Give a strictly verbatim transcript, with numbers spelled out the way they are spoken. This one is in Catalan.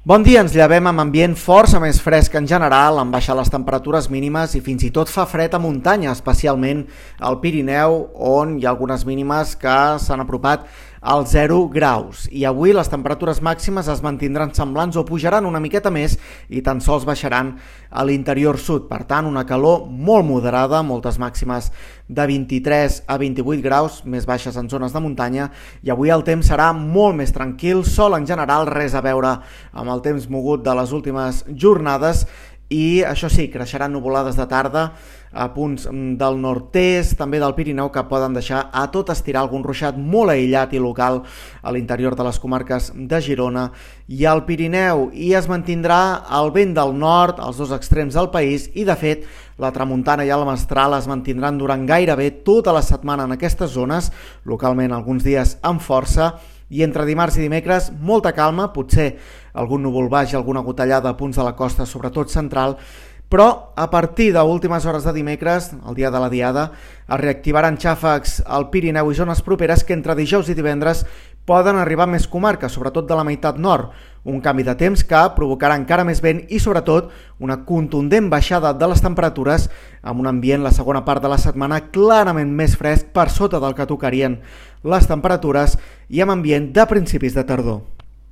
Bon dia, ens llevem amb ambient força més fresc en general, han baixat les temperatures mínimes i fins i tot fa fred a muntanya, especialment al Pirineu, on hi ha algunes mínimes que s'han apropat als zero graus. I avui les temperatures màximes es mantindran semblants o pujaran una miqueta més i tan sols baixaran a l'interior sud. Per tant, una calor molt moderada, moltes màximes de vint-i-tres a vint-i-vuit graus, més baixes en zones de muntanya, i avui el temps serà molt més tranquil, sol en general, res a veure amb el temps mogut de les últimes jornades, i això sí, creixeran nuvolades de tarda a punts del nord-est, també del Pirineu, que poden deixar a tot estirar algun ruixat molt aïllat i local a l'interior de les comarques de Girona i al Pirineu, i es mantindrà el vent del nord als dos extrems del país, i de fet la tramuntana i el mestral es mantindran durant gairebé tota la setmana en aquestes zones, localment alguns dies amb força, i entre dimarts i dimecres molta calma, potser algun núvol baix i alguna gotellada a punts de la costa, sobretot central, però a partir d'últimes hores de dimecres, el dia de la diada, es reactivaran xàfecs al Pirineu i zones properes que entre dijous i divendres poden arribar a més comarques, sobretot de la meitat nord, un canvi de temps que provocarà encara més vent i sobretot una contundent baixada de les temperatures amb un ambient la segona part de la setmana clarament més fresc per sota del que tocarien les temperatures i amb ambient de principis de tardor.